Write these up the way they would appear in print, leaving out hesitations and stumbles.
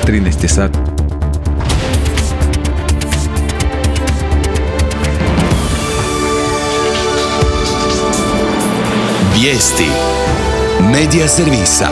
13 je sat. Vijesti Medija servisa.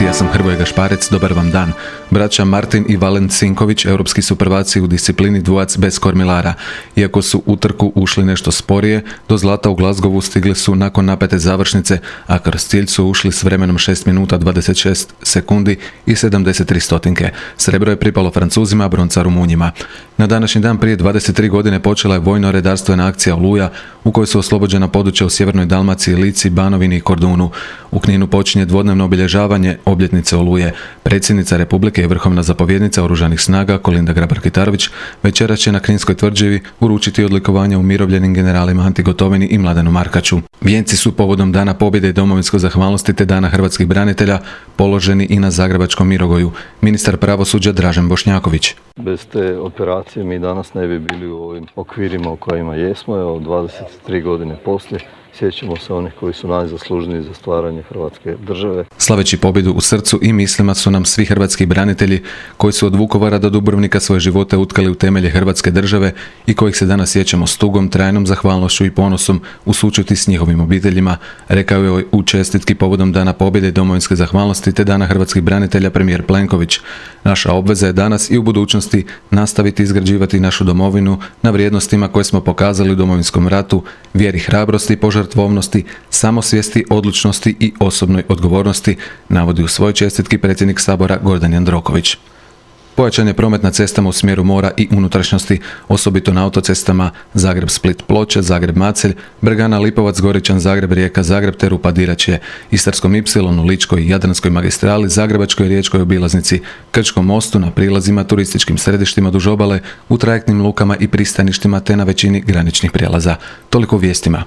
Ja sam Hrvoje Gašparec, dobar vam dan. Braća Martin i Valent Sinković, europski su prvaci u disciplini dvojac bez kormilara. Iako su u trku ušli nešto sporije, do zlata u Glasgowu stigli su nakon napete završnice, a kroz cilj su ušli s vremenom 6 minuta 26 sekundi i 73 stotinke. Srebro je pripalo Francuzima, bronca Rumunjima. Na današnji dan prije 23 godine počela je vojno-redarstvena akcija Oluja, u kojoj su oslobođena područja u sjevernoj Dalmaciji, Lici, Banovini i Kordunu. U Kninu počinje dvodnevno obilježavanje obljetnice Oluje. Predsjednica Republike i vrhovna zapovjednica Oružanih snaga Kolinda Grabar-Kitarović večeras će na Kninskoj tvrđavi uručiti odlikovanja umirovljenim generalima Anti Gotovini i Mladenu Markaču. Vijenci su povodom Dana pobjede i domovinske zahvalnosti te Dana hrvatskih branitelja položeni i na Zagrebačkom Mirogoju. Ministar pravosuđa Dražen Bošnjaković. Bez te operacije mi danas ne bi bili u ovim okvirima u kojima jesmo. Evo, 23 godine poslije sjećamo se onih koji su najzaslužniji za stvaranje Hrvatske države. Slaveći pobjedu u srcu i mislima su nam svi hrvatski branitelji koji su od Vukovara do Dubrovnika svoje živote utkali u temelje Hrvatske države i kojih se danas sjećamo s tugom, trajnom zahvalnošću i ponosom u sućuti s njihovim obiteljima, rekao je u čestitki povodom Dana pobjede i domovinske zahvalnosti te Dana hrvatskih branitelja premijer Plenković. Naša obveza je danas i u budućnosti nastaviti izgrađivati našu domovinu na vrijednostima koje smo pokazali u Domovinskom ratu, vjeri, hrabrosti, požrtvovnosti, samosvijesti, odlučnosti i osobnoj odgovornosti, navodi u svojoj čestitki predsjednik Sabora Gordan Jandroković. Pojačan je promet na cestama u smjeru mora i unutrašnjosti, osobito na autocestama Zagreb-Split-Ploče, Zagreb-Macelj, Bregana-Lipovac-Goričan, Zagreb-Rijeka, Zagreb te Rupa-Diračije, Istarskom Ipsilonu, Ličkoj i Jadranskoj magistrali, Zagrebačkoj i Riječkoj obilaznici, Krčkom mostu, na prilazima, turističkim središtima duž obale, u trajektnim lukama i pristaništima te na većini graničnih prijelaza. Toliko u vijestima.